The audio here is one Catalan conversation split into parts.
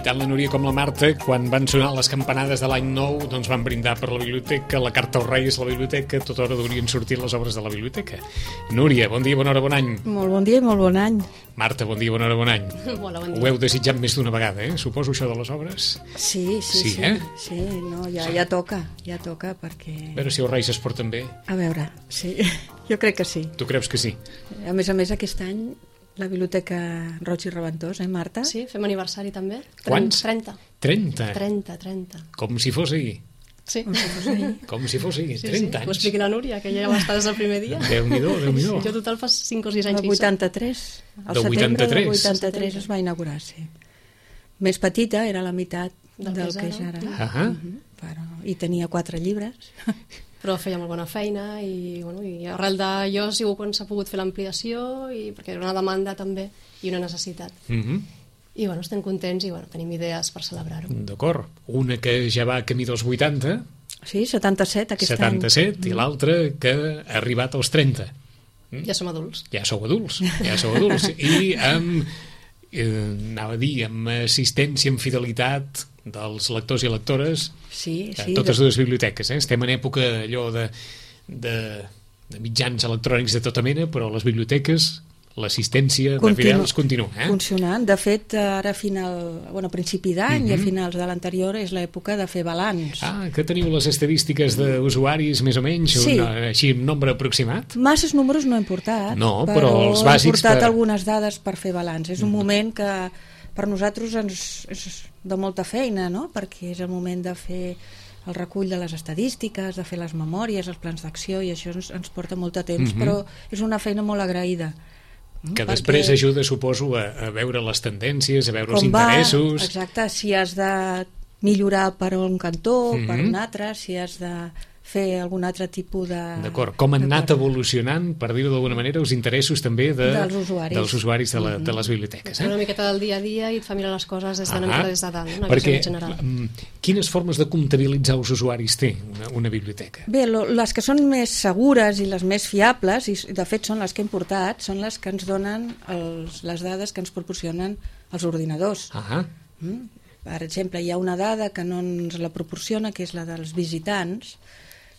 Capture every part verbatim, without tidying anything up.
Tant la Núria com la Marta, quan van sonar les campanades de l'any nou, doncs van brindar per la biblioteca, la carta als Reis a la biblioteca, tota hora haurien sortit les obres de la biblioteca. Núria, bon dia, bona hora, bon any. Molt bon dia i molt bon any. Marta, bon dia, bona hora, bon any. Hola, bon dia. Ho heu desitjat més d'una vegada, eh? Suposo, això de les obres? Sí, sí, sí. Sí, eh? Sí, no, ja, ja toca, ja toca, perquè... A veure si els Reis es porten bé. A veure, sí, jo crec que sí. Tu creus que sí? A més a més, aquest any la Biblioteca Roig i Reventós, eh, Marta? Sí, fem aniversari també. Quants? trenta. trenta? trenta, trenta. Com si fos ahir. Sí. Com si fos ahir, Sí, trenta sí. anys. Ho expliqui la Núria, que ja va estar des del primer dia. Déu-n'hi-do, Déu-n'hi-do. Jo total fa cinc o sis anys El que hi soc. vuitanta-tres. Al Del setembre vuitanta-tres. del vuitanta-tres es va inaugurar, sí. Més petita, era la meitat Del del, que és que és ara. Ahà. Mhm, però, I tenia quatre llibres. Però feia molt bona feina i, bueno, i arrel d'allò ha sigut quan s'ha pogut fer l'ampliació i perquè era una demanda també i una necessitat. Mhm. I bueno, estem contents i bueno, tenim idees per celebrar-ho. D'acord. Una que ja va camí dels vuitanta, Sí, setanta-set aquest setanta-set, any. i l'altra que ha arribat als trenta. Ja som adults. Ja sou adults, ja sou adults. I amb, eh, anava a dir, amb assistència, amb fidelitat dels lectors i lectores Sí, a sí. totes de- dues biblioteques. Eh? Estem en època allò de, de, de mitjans electrònics de tota mena, però les biblioteques, l'assistència de Continu- fidels continua. Eh? funcionant. De fet, ara a final, bueno, a principi d'any i a finals de l'anterior és l'època de fer balanç. Ah, que teniu les estadístiques d'usuaris més o menys, Sí. un, eh, així un nombre aproximat? Masses números no hem portat, No, però els bàsics hem portat per- algunes dades per fer balanç. És un moment que per nosaltres ens, és de molta feina, no? Perquè és el moment de fer el recull de les estadístiques, de fer les memòries, els plans d'acció, i això ens, ens porta molt de temps, però és una feina molt agraïda. Que Perquè després ajuda, suposo, a, a veure les tendències, a veure els com va, interessos. exacte, si has de millorar per un cantó, Mhm. per un altre, si has de fer algun altre tipus de... D'acord, com han anat d'acord. evolucionant, per dir-ho d'alguna manera, els interessos també de, Dels usuaris. dels usuaris de, la, de les biblioteques. Una Eh? miqueta del dia a dia i et fa mirar les coses des de, una Ah, mica des de dalt, una perquè, visió general. mm, quines formes de comptabilitzar els usuaris té una, una biblioteca? Bé, lo, les que són més segures i les més fiables, i de fet són les que hem portat, són les que ens donen els, les dades que ens proporcionen els ordinadors. Ah, Mm? Per exemple, hi ha una dada que no ens la proporciona, que és la dels visitants,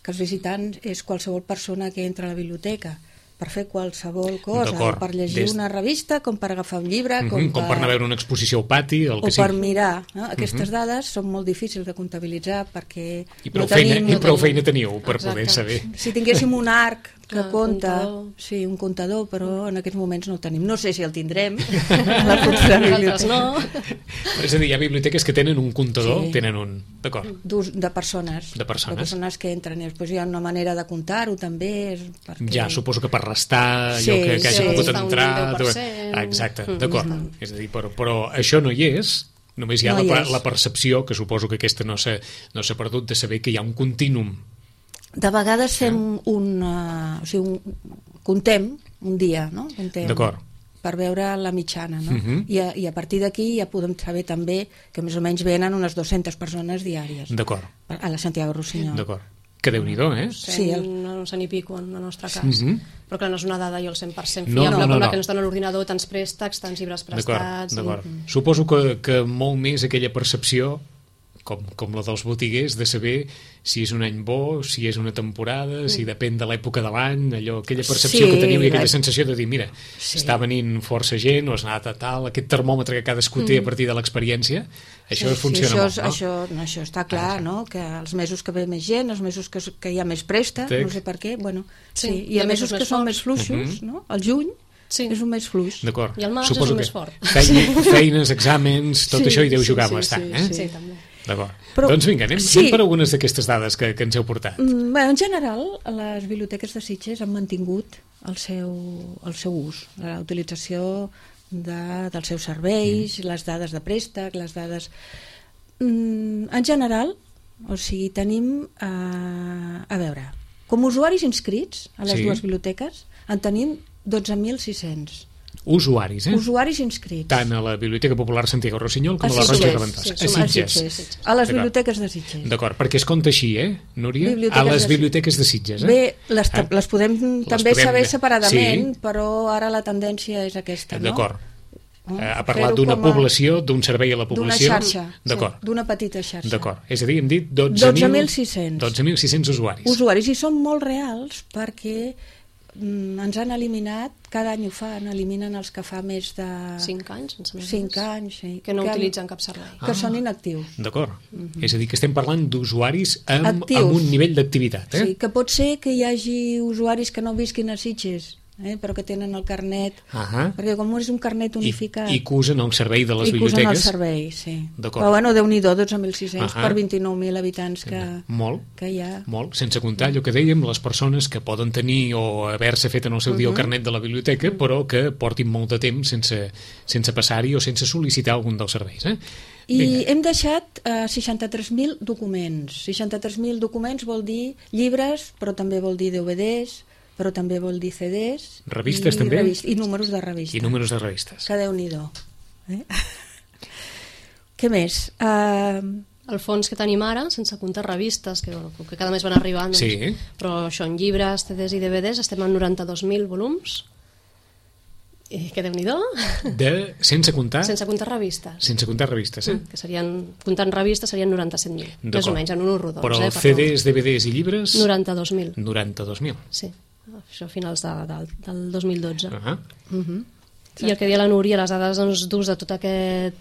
que els visitants és qualsevol persona que entra a la biblioteca per fer qualsevol cosa, D'acord. o per llegir Des- una revista, com per agafar un llibre, mhm, com, com per anar a veure una exposició al pati, el o que sigui. per mirar. No? Aquestes dades són molt difícils de comptabilitzar perquè I prou, no feina, tenim... i no prou tenim- feina teniu per Exacte. poder saber. Si tinguéssim un arc que Clar, compta, comptador. sí, un comptador, però en aquests moments no el tenim. No sé si el tindrem a la futura Nosaltres biblioteca. no. Però és a dir, hi ha biblioteques que tenen un comptador, Sí. tenen un... D'acord. D'ús- de persones. De persones. De persones que entren. I després hi ha una manera de comptar-ho també. És perquè... Ja, suposo que per restar Sí, allò que, que hagi sí. pogut Està un entrar... deu per cent. Ah, exacte, Mm. d'acord. És a dir, però, però això no hi és, només hi ha No hi la, és. la percepció, que suposo que aquesta no s'ha no s'ha perdut, de saber que hi ha un contínuum. De vegades fem un... Uh, o sigui, un, contem un dia, no? Contem, D'acord. per veure la mitjana, no? Mhm. I, a, I a partir d'aquí ja podem saber també que més o menys venen unes dues-centes persones diàries D'acord, a la Santiago Rossinyol. d'acord. Que Déu-n'hi-do, eh? Sí, el- un cent i pico en el nostre cas. Mhm. Però clar, no és una dada jo el cent per cent No, fiable, no, no, com la no. que ens dona l'ordinador, tants préstecs, tants llibres D'acord, prestats... d'acord. i- Suposo que, que molt més aquella percepció, com, com la dels botiguers, de saber si és un any bo, si és una temporada, si depèn de l'època de l'any, allò, aquella percepció Sí, que teniu i aquella la- sensació de dir, mira, Sí. està venint força gent, o has anat a tal, aquest termòmetre que cadascú té a partir de l'experiència, això Sí, funciona sí, això, molt, és- no? Això, no, això està clar, no? Que els mesos que ve més gent, els mesos que, que hi ha més préstec, Tec. no sé per què, bueno, sí, Sí, i hi ha a mesos mesos que més són forts. més fluixos, no? El juny Sí. és un mes fluix. D'acord. I el març Suposo és un que més fort. Feina, feines, exàmens, tot Sí, això hi deu sí, jugar sí, bastant, sí, eh? Sí, també. D'acord. Però- Doncs vinga, anem, sí. anem per algunes d'aquestes dades que, que ens heu portat. Mm, Bé, en general, les biblioteques de Sitges han mantingut el seu, el seu ús, la utilització de, dels seus serveis, mm. les dades de préstec, les dades... Mm, en general, o sigui, tenim, eh, a veure, com a usuaris inscrits a les Sí. dues biblioteques, en tenim dotze mil sis-cents. Usuaris, eh? Usuaris inscrits. Tant a la Biblioteca Popular Santiago Rossinyol com a, A la Roig i Sitges, Reventós. sí, a som a Sitges. Sitges. A les biblioteques de Sitges. D'acord, perquè es compta així, eh, Núria? Biblioteques a les de biblioteques de Sitges, eh? Bé, les, Ah. les podem Les també podem- saber separadament, sí. però ara la tendència és aquesta, no? D'acord. Oh, Eh, ha parlat fer-ho d'una com a- població, d'un servei a la D'una població. xarxa, D'acord. sí, d'una petita xarxa. D'acord. És a dir, hem dit dotze mil sis-cents. dotze mil sis-cents usuaris. Usuaris, i són molt reals perquè mm, ens han eliminat, cada any ho fan, eliminen els que fa més de... cinc anys, em sembla. cinc anys, sí. Que no que, utilitzen cap servei. Que són inactius. D'acord. És a dir, que estem parlant d'usuaris amb, Actius. amb un nivell d'activitat, eh? Sí, que pot ser que hi hagi usuaris que no visquin a Sitges, eh, però que tenen el carnet, Ahà. perquè com és un carnet unificat... I, I que usen el servei de les i que usen el biblioteques. servei, sí. D'acord. Però bueno, Déu-n'hi-do, dotze mil sis-cents Ahà. per vint-i-nou mil habitants que, Molt. que hi ha. Molt, sense comptar allò que dèiem, les persones que poden tenir o haver-se fet en el seu dia el carnet de la biblioteca, però que portin molt de temps sense, sense passar-hi o sense sol·licitar algun dels serveis. Eh? I Vinga. hem deixat eh, seixanta-tres mil documents. seixanta-tres mil documents vol dir llibres, però també vol dir D V Ds, però també vol dir C Ds. Revistes i també? Revist, I números de revistes. I números de revistes. Que Déu-n'hi-do. Eh? Què més? Uh, El fons que tenim ara, sense comptar revistes, que, bueno, que cada mes van arribant, doncs, Sí. però això en llibres, C Ds i D V Ds estem en noranta-dos mil volums, i que Déu-n'hi-do, De, sense comptar sense comptar revistes. sense comptar revistes, eh? Mm, que serien, comptant revistes serien noranta-set mil, més D'acord. o menys, en un rodons. Però eh, C Ds, D V Ds i llibres, noranta-dos mil, noranta-dos mil. sí. Això a finals de, de, del dos mil dotze. Uh -huh. I el que deia la Núria, les dades doncs, d'ús de tot aquest,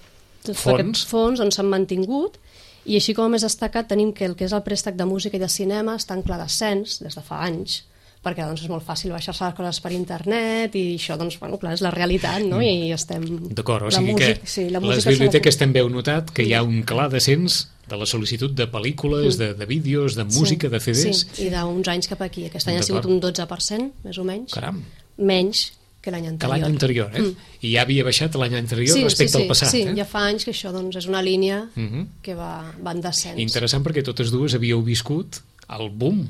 tot Fons. aquest fons doncs, s'han mantingut, i així com a més destacat tenim que el que és el préstec de música i de cinema està en clar descens des de fa anys, perquè doncs, és molt fàcil baixar-se les coses per internet i això, doncs, bueno, clar, és la realitat, no? I estem... D'acord, o La sigui música- que sí, la les música biblioteques s'ha també heu notat que hi ha un clar descens de la sol·licitud de pel·lícules, de, de vídeos, de música, de C Ds. Sí, i d'uns anys cap aquí. Aquest any ha D'acord. sigut un dotze per cent, més o menys. Caram, Menys que l'any que anterior. l'any anterior, eh? Mm. I ja havia baixat l'any anterior Sí, respecte sí, sí, al passat, sí, eh? ja fa anys que això doncs, és una línia Mhm. que va, va en descens. Interessant perquè totes dues havíeu viscut el boom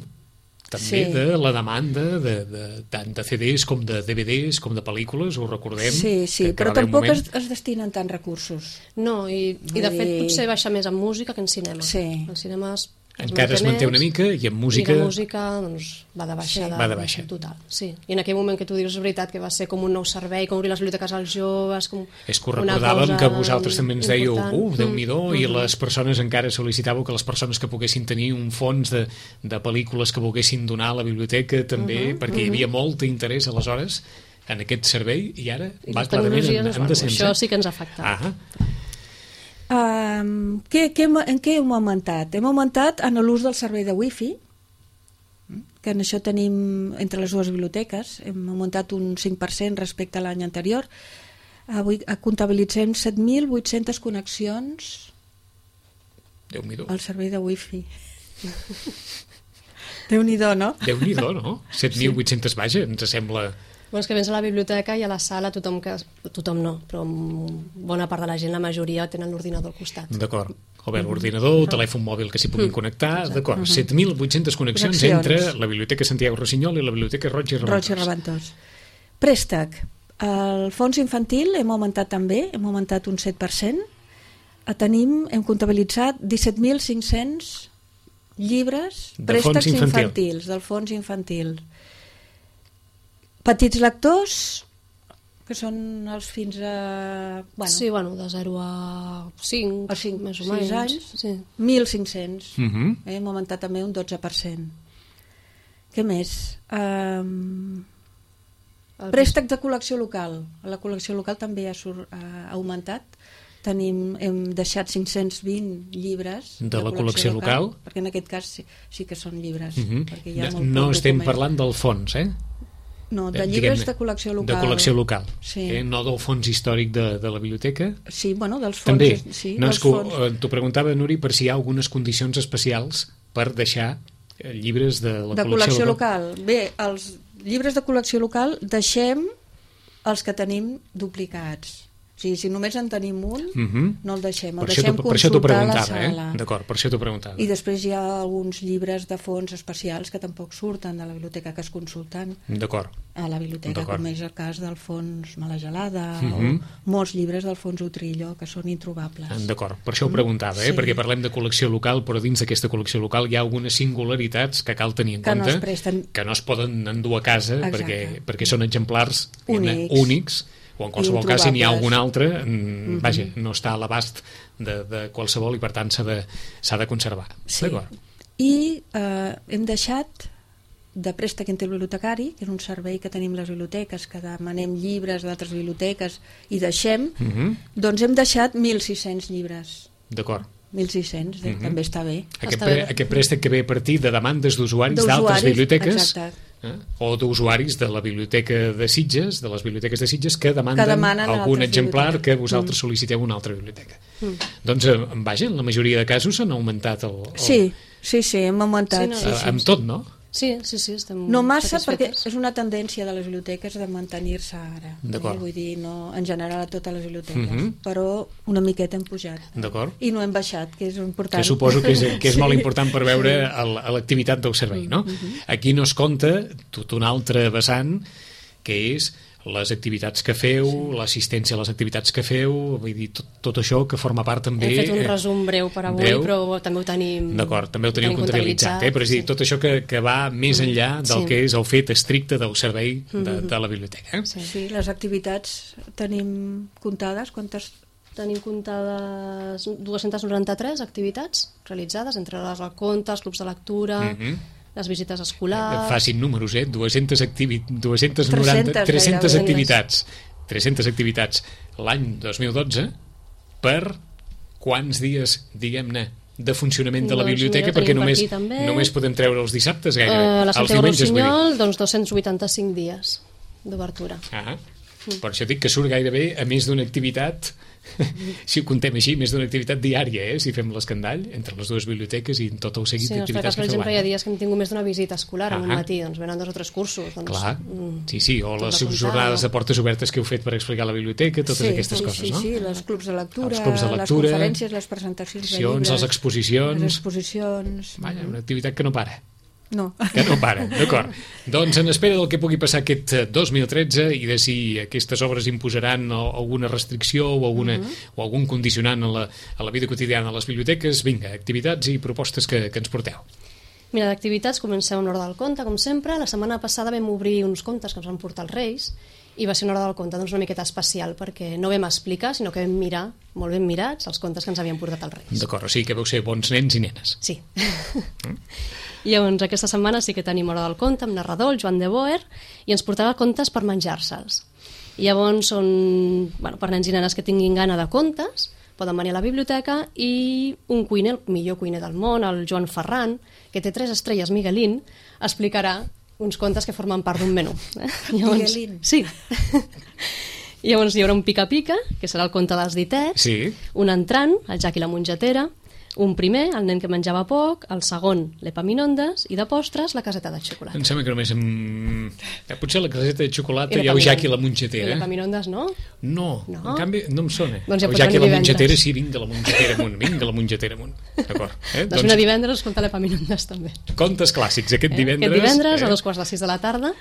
també Sí. de la demanda de, de, tant de C Ds com de D V Ds com de pel·lícules, ho recordem. sí, sí, que- que però va haver un tampoc moment- es, es destinen tants recursos. No, i, i de Vull fet dir- potser baixa més en música que en cinema. Sí. En cinema es, Encara es manté una mica i en música... I la música doncs, va de baixada. Sí. Va de baixa. Total, sí. I en aquell moment que tu dius, és veritat, que va ser com un nou servei, com obrir les biblioteques als joves, com És que ho una recordàvem cosa que vosaltres també ens dèieu, important. uh, Déu-n'hi-do, Mm, i mm. les persones encara sol·licitàveu que les persones que poguessin tenir un fons de, de pel·lícules que volguessin donar a la biblioteca també, Mhm, perquè hi havia molt interès aleshores en aquest servei i ara I va les clarament en, tecnologies, en bueno, descens. això eh? sí que ens ha afectat. Ah, Um, què, què, hem- en què hem augmentat? Hem augmentat en l'ús del servei de wifi, que en això tenim entre les dues biblioteques, hem augmentat un cinc per cent respecte a l'any anterior. Avui comptabilitzem set mil vuit-centes connexions Déu-n'hi-do. al servei de wifi. Déu-n'hi-do, no? Déu-n'hi-do, no? set mil vuit-cents, vaja, ens sembla... Bueno, és que vens a la biblioteca i a la sala tothom que... Tothom no, però bona part de la gent, la majoria, tenen l'ordinador al costat. D'acord. O bé l'ordinador, el telèfon mòbil que s'hi puguin connectar, d'acord. set mil vuit-centes connexions Connexions. entre la Biblioteca Santiago Rossinyol i la Biblioteca Roig i Roig i Reventós. Reventós. Préstec. El fons infantil hem augmentat també, hem augmentat un set per cent. Tenim, hem comptabilitzat disset mil cinc-cents llibres, De préstecs fons infantil. infantils, del fons infantil. Petits lectors, que són els fins a... Bueno, Sí, bueno, de zero a cinc, a cinc, més o sis menys. anys, Sí. mil cinc-cents. Mhm. Eh, hem augmentat també un dotze per cent. Què més? Um, El préstec de col·lecció local. La col·lecció local també ha, sur, ha augmentat. Tenim, hem deixat cinc-cents vint llibres De la col·lecció local. perquè en aquest cas sí, sí que són llibres. Mhm. perquè hi ha No, molt no poc estem document. parlant del fons, eh? No, de Eh, llibres diguem-ne, de col·lecció local. De col·lecció local. Sí. Eh? No del fons històric de, de la biblioteca. Sí, bueno, dels fons. També. Sí, No, dels és que fons. eh, t'ho preguntava, Nuri, per si hi ha algunes condicions especials per deixar eh, llibres de la de col·lecció, col·lecció local. Bé, els llibres de col·lecció local deixem els que tenim duplicats. O sigui, si només en tenim un, uh -huh. no el deixem, el per deixem això, consultar a la sala. Eh? D'acord, per això t'ho preguntava. I després hi ha alguns llibres de fons especials que tampoc surten de la biblioteca que es consulten a la biblioteca, com és el cas del fons Mala Gelada uh -huh. o molts llibres del fons Utrillo que són introbables. D'acord, per això ho preguntava, eh? Sí. Perquè parlem de col·lecció local, però dins d'aquesta col·lecció local hi ha algunes singularitats que cal tenir en que compte, no es presten... que no es poden endur a casa perquè, perquè són exemplars únics, únics o en qualsevol cas si n'hi ha algun altre mm, uh-huh. vaja, no està a l'abast de, de qualsevol i per tant s'ha de, s'ha de conservar. Sí. I eh, hem deixat de préstec interbibliotecari, que és un servei que tenim les biblioteques, que demanem llibres d'altres biblioteques i deixem, uh-huh. doncs hem deixat mil sis-cents llibres. D'acord. mil sis-cents, uh-huh. també està bé. Aquest, està pre bé. Aquest préstec que ve a partir de demandes d'usuaris d'altres biblioteques eh? o d'usuaris de la biblioteca de Sitges, de les biblioteques de Sitges que demanden, que algun exemplar que vosaltres mm. sol·liciteu a una altra biblioteca. Mm. Doncs, vaja, en la majoria de casos s'han augmentat el, el... Sí, sí, sí, hem augmentat. Sí, no, sí, sí, sí, amb tot, no? Sí, sí, sí, estem no massa, satisfetes. Perquè és una tendència de les biblioteques de mantenir-se ara. Eh? Vull dir, no, en general a totes les biblioteques, uh-huh. però una miqueta hem pujat. D'acord. I no hem baixat, que és important. Que suposo que és, que és sí. molt important per veure l'activitat del servei, no? Uh-huh. Aquí no es compta tot un altre vessant, que és les activitats que feu, sí. l'assistència a les activitats que feu, vull dir, tot, tot això que forma part també... Hem fet un resum breu per avui, breu. Però també ho tenim... D'acord, també ho teniu comptabilitzat, eh? Però és dir, sí. tot això que, que va més enllà del sí. que és el fet estricte del servei de, mm-hmm. de la biblioteca. Eh? Sí. sí, les activitats tenim comptades, quantes... Tenim comptades dues-centes noranta-tres activitats realitzades, entre les contes, clubs de lectura... Mm-hmm. les visites escolars... Facin números, eh? dues-centes noranta, tres-centes activitats. tres-centes activitats l'any dos mil dotze per quants dies, diguem-ne, de funcionament de la doncs biblioteca, perquè només, només podem treure els dissabtes gairebé. Uh, la Santiago Rossinyol, doncs dos-cents vuitanta-cinc dies d'obertura. Ah, mm. Per això dic que surt gairebé a més d'una activitat... si ho contem així, més d'una activitat diària, eh? Si fem l'escandall entre les dues biblioteques i tot el seguit sí, d'activitats que feu. Sí, per exemple, hi ha dies que hem tingut més d'una visita escolar en un matí, doncs venen dos o tres cursos. Doncs, clar, sí, sí, o les jornades de portes obertes que heu fet per explicar la biblioteca, totes sí, aquestes sí, coses, sí, no? Sí, sí, els clubs de lectura, els clubs de lectura les conferències, les presentacions de llibres, les exposicions... Les exposicions... Vaja, una activitat que no para. No. Que no para, d'acord. Doncs en espera del que pugui passar aquest dos mil tretze i de si aquestes obres imposaran alguna restricció o, alguna, uh-huh. o algun condicionant a la, a la vida quotidiana de les biblioteques, vinga, activitats i propostes que, que ens porteu. Mira, d'activitats comencem amb l'hora del conte, com sempre. La setmana passada vam obrir uns contes que ens van portar els Reis i va ser una hora del conte doncs, una miqueta especial perquè no vam explicar, sinó que vam mirar, molt ben mirats, els contes que ens havien portat els Reis. D'acord, o sigui que vau ser bons nens i nenes. Sí. Mm. I llavors aquesta setmana sí que tenim hora del conte amb narrador, el Joan de Boer, i ens portava contes per menjar-se'ls. I llavors són, bueno, per nens i nenes que tinguin gana de contes, poden venir a la biblioteca i un cuiner, el millor cuiner del món, el Joan Ferran, que té tres estrelles Miguelín, explicarà uns contes que formen part d'un menú. Eh? Llavors, Miguelín. Sí. I llavors hi haurà un pica-pica, que serà el conte dels ditets, sí. Un entrant, el Jack i la mongetera, un primer, el nen que menjava poc, el segon, l'Epaminondes, i de postres, la caseta de xocolata. Em sembla que només em... Potser la caseta de xocolata hi ha el Jack i la mongetera. I l'Epaminondes no? No, no, en canvi no em sona. Doncs ja el Jack i la mongetera, sí, vinga la mongetera amunt, vinga la mongetera amunt. D'acord. Eh? Doncs una divendres escolta l'Epaminondes també. Contes clàssics, aquest divendres... Aquest divendres, eh? a dos quarts de sis de la tarda,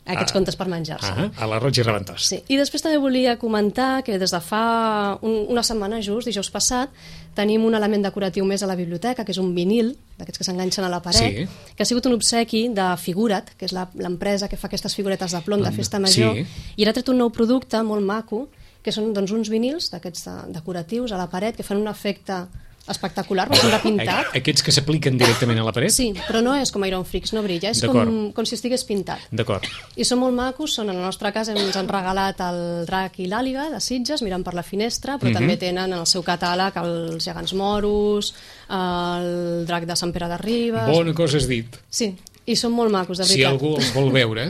aquests ah, contes per menjar-se. Ah, a la Roig i Reventós. Sí. I després també volia comentar que des de fa un, una setmana just, dijous passat, tenim un element decoratiu més a la biblioteca, que és un vinil, d'aquests que s'enganxen a la paret, sí. Que ha sigut un obsequi de Figura't, que és l'empresa que fa aquestes figuretes de plom de festa major, sí. I ara ha tret un nou producte molt maco, que són doncs, uns vinils d'aquests de, decoratius a la paret, que fan un efecte espectacular, perquè són de pintat. Aquests que s'apliquen directament a la paret? Sí, però no és com Iron Freaks, no brilla, és com, com si estigués pintat. D'acord. I són molt macos, són, en el nostre cas ens han regalat el Drac i l'Àliga de Sitges, mirant per la finestra, però mm-hmm. també tenen en el seu catàleg els gegants moros, el Drac de Sant Pere de Ribes... Bona cosa has dit. Sí, i són molt macos, de veritat. Si algú els vol veure,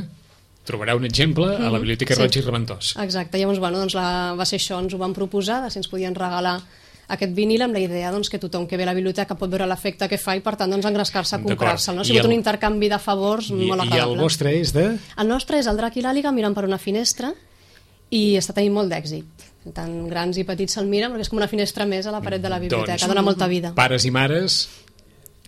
trobarà un exemple a la Biblioteca sí. Roig i Reventós. Exacte, llavors bueno, doncs la, va ser això, ens ho van proposar, de si ens podien regalar aquest vinil amb la idea doncs, que tothom que ve a la biblioteca pot veure l'efecte que fa i per tant doncs, engrescar-se a comprar-se'l. No? Ha sigut el... un intercanvi de favors I, molt agradable. I el vostre és de? El nostre és el Drac i l'Àliga mirant per una finestra i està tenint molt d'èxit. Tant grans i petits se'l miren perquè és com una finestra més a la paret de la biblioteca, doncs, dona molta vida. Pares i mares,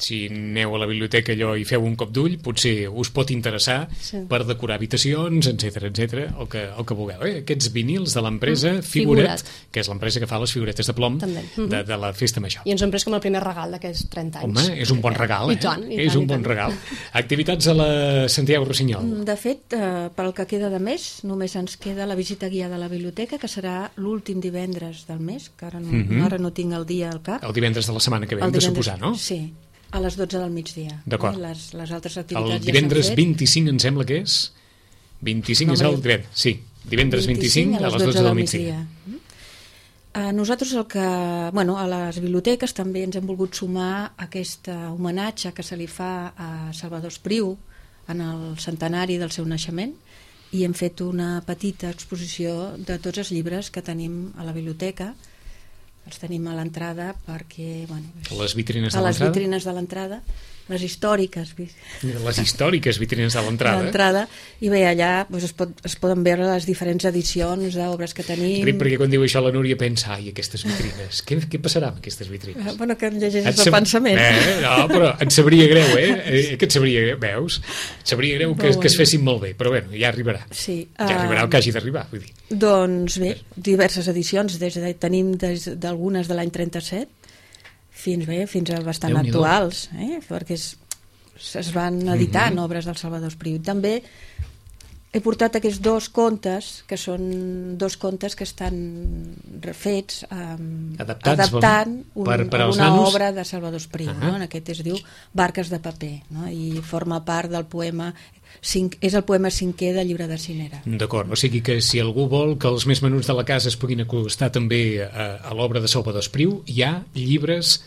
si aneu a la biblioteca allò i feu un cop d'ull, potser us pot interessar sí. per decorar habitacions, etcètera, etcètera, el que, el que vulgueu. Eh? Aquests vinils de l'empresa mm, Figuret, Figuret, que és l'empresa que fa les figuretes de plom mm-hmm. de, de la Festa Major. I ens ho hem pres com el primer regal d'aquests trenta anys. Home, és un bon regal, eh? I tant, i és tant, un i bon tant. regal. Activitats a la Santiago Rossinyol. De fet, eh, pel que queda de mes, només ens queda la visita guiada a la biblioteca, que serà l'últim divendres del mes, que ara no, mm-hmm. ara no tinc el dia al cap. El divendres de la setmana que ve, hem de suposar, no? Sí, a les dotze del migdia. D'acord. Eh? Les, les altres activitats el divendres ja vint-i-cinc em sembla que és? vint-i-cinc no, és el divendres, sí. Divendres vint-i-cinc a les dotze del migdia. migdia. A nosaltres el que... Bueno, a les biblioteques també ens hem volgut sumar aquest homenatge que se li fa a Salvador Espriu en el centenari del seu naixement i hem fet una petita exposició de tots els llibres que tenim a la biblioteca. Els tenim a l'entrada perquè... Bueno, és, les vitrines de a l'entrada? les vitrines de l'entrada, les històriques. Les històriques vitrines de l'entrada. l'entrada. I bé, allà doncs, es, pot, es poden veure les diferents edicions d'obres que tenim. Ric, perquè quan diu això la Núria pensa, ai, aquestes vitrines, què, què passarà amb aquestes vitrines? Eh, bueno, que en llegeixes sab... el pensament. Eh, no, però et sabria greu, eh? eh que et sabria greu, veus? Et sabria greu que, que es fessin molt bé, però bueno, ja arribarà. Sí, ja arribarà el que hagi d'arribar, vull dir. Doncs bé, diverses edicions, des de, tenim des d'algunes de l'any trenta-set fins bé, fins a bastant Déu-n'hi-do. actuals, eh? perquè es, es van editant mm-hmm. obres del Salvador Espriu. També he portat aquests dos contes, que són dos contes que estan refets um, adaptats, adaptant un, per, per una nanos? obra de Salvador Espriu. Uh-huh. No? En aquest es diu Barques de paper, no? I forma part del poema, cinc, és el poema cinquè del llibre de Cinera. D'acord, o sigui que si algú vol que els més menuts de la casa es puguin acostar també a, a l'obra de Salvador Espriu, hi ha llibres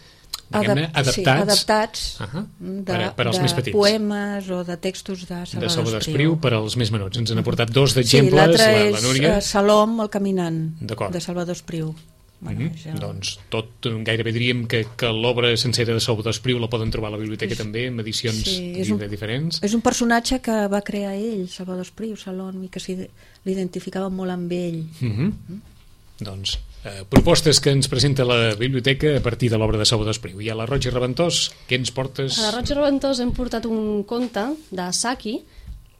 diguem-ne, adaptats, sí, adaptats uh-huh, de, per, a, per als de més petits. Poemes o de textos de Salvador, de Salvador Espriu. Espriu per als més menuts. Ens n'ha portat dos d'exemples, sí, l'altre la, és la Núria. uh, Salom el caminant, de Salvador Espriu. Bueno, mm-hmm. ja... Doncs tot, gairebé diríem que, que l'obra sencera de Salvador Espriu la poden trobar a la biblioteca sí. també, en edicions sí, un, diferents. És un personatge que va crear ell, Salvador Espriu, Salom, i que l'identificava molt amb ell. Mm-hmm. Mm? Doncs eh, propostes que ens presenta la biblioteca a partir de l'obra de Salvador Espriu. I a la Roig i Reventós, què ens portes? A la Roig i Reventós hem portat un conte de Saki,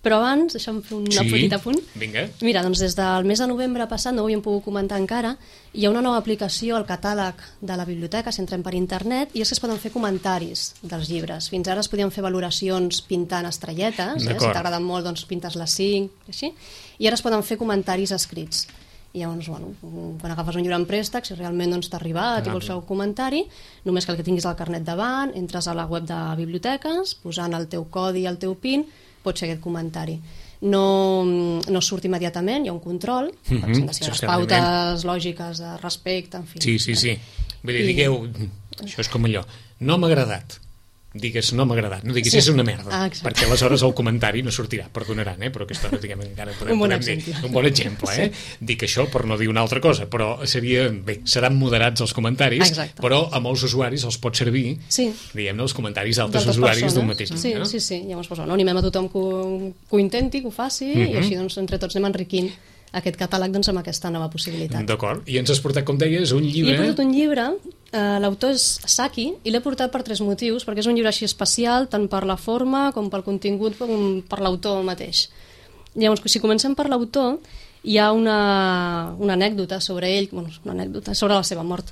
però abans, deixa'm fer un sí, petit apunt. Vinga. Mira, doncs des del mes de novembre passat, no ho havíem pogut comentar encara, hi ha una nova aplicació al catàleg de la biblioteca, si entrem per internet, i és que es poden fer comentaris dels llibres. Fins ara es podien fer valoracions pintant estrelletes, eh? Si t'agraden molt, doncs pintes les cinc, així, i ara es poden fer comentaris escrits. I llavors, bueno, quan agafes un llibre en préstec, si realment doncs, t'ha arribat ah, i vols fer un comentari, només cal que tinguis el carnet davant, entres a la web de biblioteques, posant el teu codi i el teu PIN, pots fer aquest comentari. No, no surt immediatament, hi ha un control, mm-hmm. per exemple, si les pautes lògiques de respecte, en fi. Sí, sí, sí. Vull dir, I... digueu, això és com allò, no m'ha agradat. Digues, no m'ha agradat, no diguis, sí. és una merda, ah, perquè aleshores el comentari no sortirà, perdonaran, eh? Però aquesta hora, diguem, encara podem, un, bon podem dir un bon exemple, eh? Sí. Dic això per no dir una altra cosa, però seria, bé, seran moderats els comentaris, exacte. Però a molts usuaris els pot servir, sí. diguem-ne, els comentaris d'altres usuaris d'un mateix sí, llibre. No? Sí, sí, llavors doncs, no, animem a tothom que ho, que ho intenti, que ho faci, mm-hmm. i així doncs, entre tots anem enriquint aquest catàleg doncs, amb aquesta nova possibilitat. D'acord, i ens has portat, com deies, un llibre... I he portat un llibre, eh, l'autor és Saki, i l'he portat per tres motius, perquè és un llibre així especial, tant per la forma com pel contingut, com per l'autor mateix. Llavors, si comencem per l'autor, hi ha una, una anècdota sobre ell, bueno, una anècdota sobre la seva mort.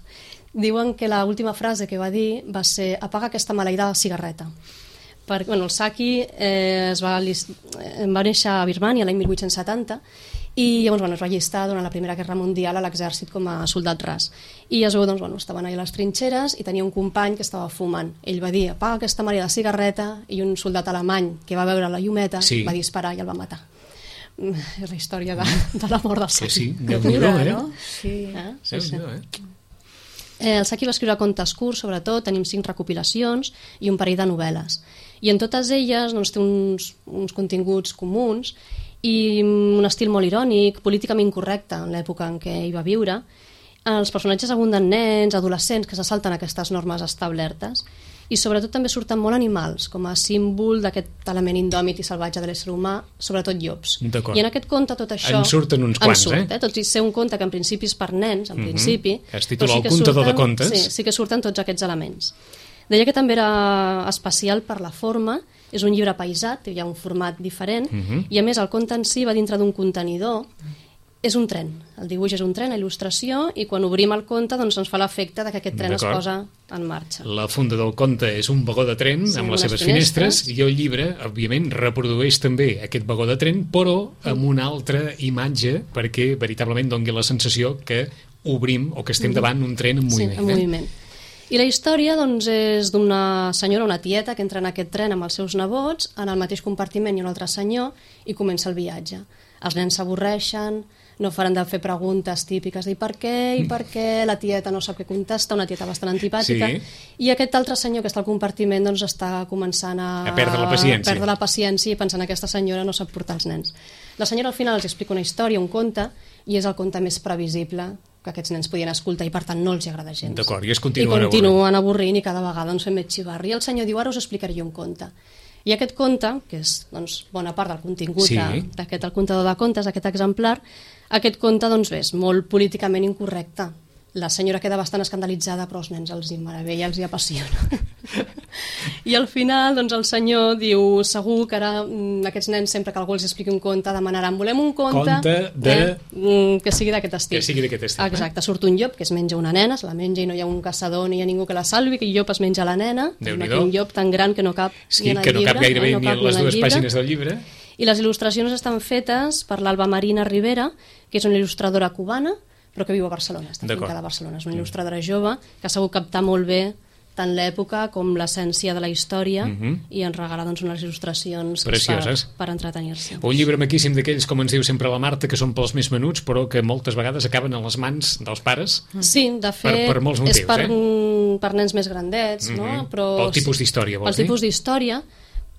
Diuen que l'última frase que va dir va ser apaga aquesta maleïda cigarreta. Perquè, bueno, el Saki eh, es va, va néixer a Birmània l'any mil vuit-cents setanta, i llavors bueno, es va allistar durant la Primera Guerra Mundial a l'exèrcit com a soldat ras. I es veu, doncs, bueno, estaven allà a les trinxeres i tenia un company que estava fumant. Ell va dir, apaga aquesta mare de cigarreta, i un soldat alemany que va veure la llumeta sí. va disparar i el va matar. És la història de, de la mort del Saki. Sí, sí, Déu-n'hi-do, eh? No? Sí. Eh? Sí, sí. Eh? Eh, el Saki va escriure contes curts, sobretot, tenim cinc recopilacions i un parell de novel·les. I en totes elles doncs, té uns, uns continguts comuns i un estil molt irònic, políticament incorrecte en l'època en què hi va viure. Els personatges abunden nens, adolescents que se salten aquestes normes establertes i sobretot també surten molt animals, com a símbol d'aquest element indòmit i salvatge de l'ésser humà, sobretot llops. D'acord. I en aquest conte tot això... En surten uns quants, surt, eh? eh? Tot i ser un conte que en principi és per nens, en Mhm. principi... Es titula però El contador de contes. Sí, sí que surten tots aquests elements. Deia que també era especial per la forma, és un llibre paisat, hi ha un format diferent, Mhm. i a més el conte en si va dintre d'un contenidor. És un tren, el dibuix és un tren, la il·lustració, i quan obrim el conte doncs ens fa l'efecte de que aquest tren es D'acord. posa en marxa. La funda del conte és un vagó de tren Sí, amb amb les les seves finestres, finestres. i el llibre, òbviament, reprodueix també aquest vagó de tren, però amb una altra imatge perquè veritablement doni la sensació que obrim o que estem davant un tren en moviment. Sí, en eh? moviment. I la història doncs, és d'una senyora, una tieta, que entra en aquest tren amb els seus nebots, en el mateix compartiment hi ha un altre senyor, i comença el viatge. Els nens s'avorreixen, no faran de fer preguntes típiques de per què, i per què, la tieta no sap què contesta, una tieta bastant antipàtica, Sí. i aquest altre senyor que està al compartiment doncs, està començant a, A perdre la paciència. a perdre la paciència i pensant que aquesta senyora no sap portar els nens. La senyora al final els explica una història, un conte, i és el conte més previsible que aquests nens podien escoltar i per tant no els hi agrada gens. D'acord, i es I continuen continuen avorrint i cada vegada doncs, fem més xivarri. I el senyor diu, ara us explicaré jo un conte. I aquest conte, que és doncs, bona part del contingut Sí. de- d'aquest El contador de contes, aquest exemplar, aquest conte doncs, bé, és molt políticament incorrecte. La senyora queda bastant escandalitzada, però els nens els hi meravella, els hi apassiona. I al final doncs, el senyor diu, segur que ara mm, aquests nens, sempre que algú els expliqui un conte, demanaran, volem un conte, Conte de- eh, mm, que sigui d'aquest estil. Que sigui d'aquest estil, eh? Exacte, surt un llop que es menja una nena, se la menja i no hi ha un caçador ni hi ha ningú que la salvi, que el llop es menja la nena, Déu-n'hi-do. un llop tan gran que no cap Sí, ni en el que no llibre, cap gairebé eh, no ni cap en les el dues llibre. pàgines del llibre. I les il·lustracions estan fetes per l'Alba Marina Rivera, que és una il·lustradora cubana, però que viu a Barcelona, està D'acord. fincada a Barcelona. És una il·lustradora jove que ha sabut captar molt bé tant l'època com l'essència de la història Mhm. i ens regala doncs, unes il·lustracions que és Precioses. per, per entretenir-se. Un llibre maquíssim d'aquells, com ens diu sempre la Marta, que són pels més menuts, però que moltes vegades acaben a les mans dels pares. Sí, de fet, Per- per molts motius, és per, eh? per nens més grandets, no? Mhm. Però, Pel tipus d'història, vols Pel dir? tipus d'història,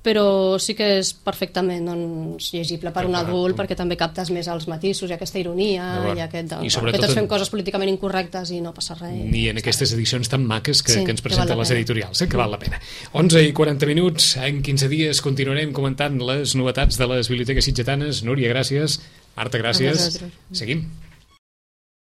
però sí que és perfectament doncs, llegible per un D'acord. adult, perquè també captes més els matisos i aquesta ironia D'acord. i aquest... I Doncs, sobretot que tots en- fem coses políticament incorrectes i no passa res. Ni en aquestes edicions tan maques que, Sí, que ens que presenten val la les pena. editorials, eh? Que val la pena. onze i quaranta minuts, en quinze dies continuarem comentant les novetats de les biblioteques sitgetanes. Núria, gràcies. Marta, gràcies. A vosaltres. Seguim.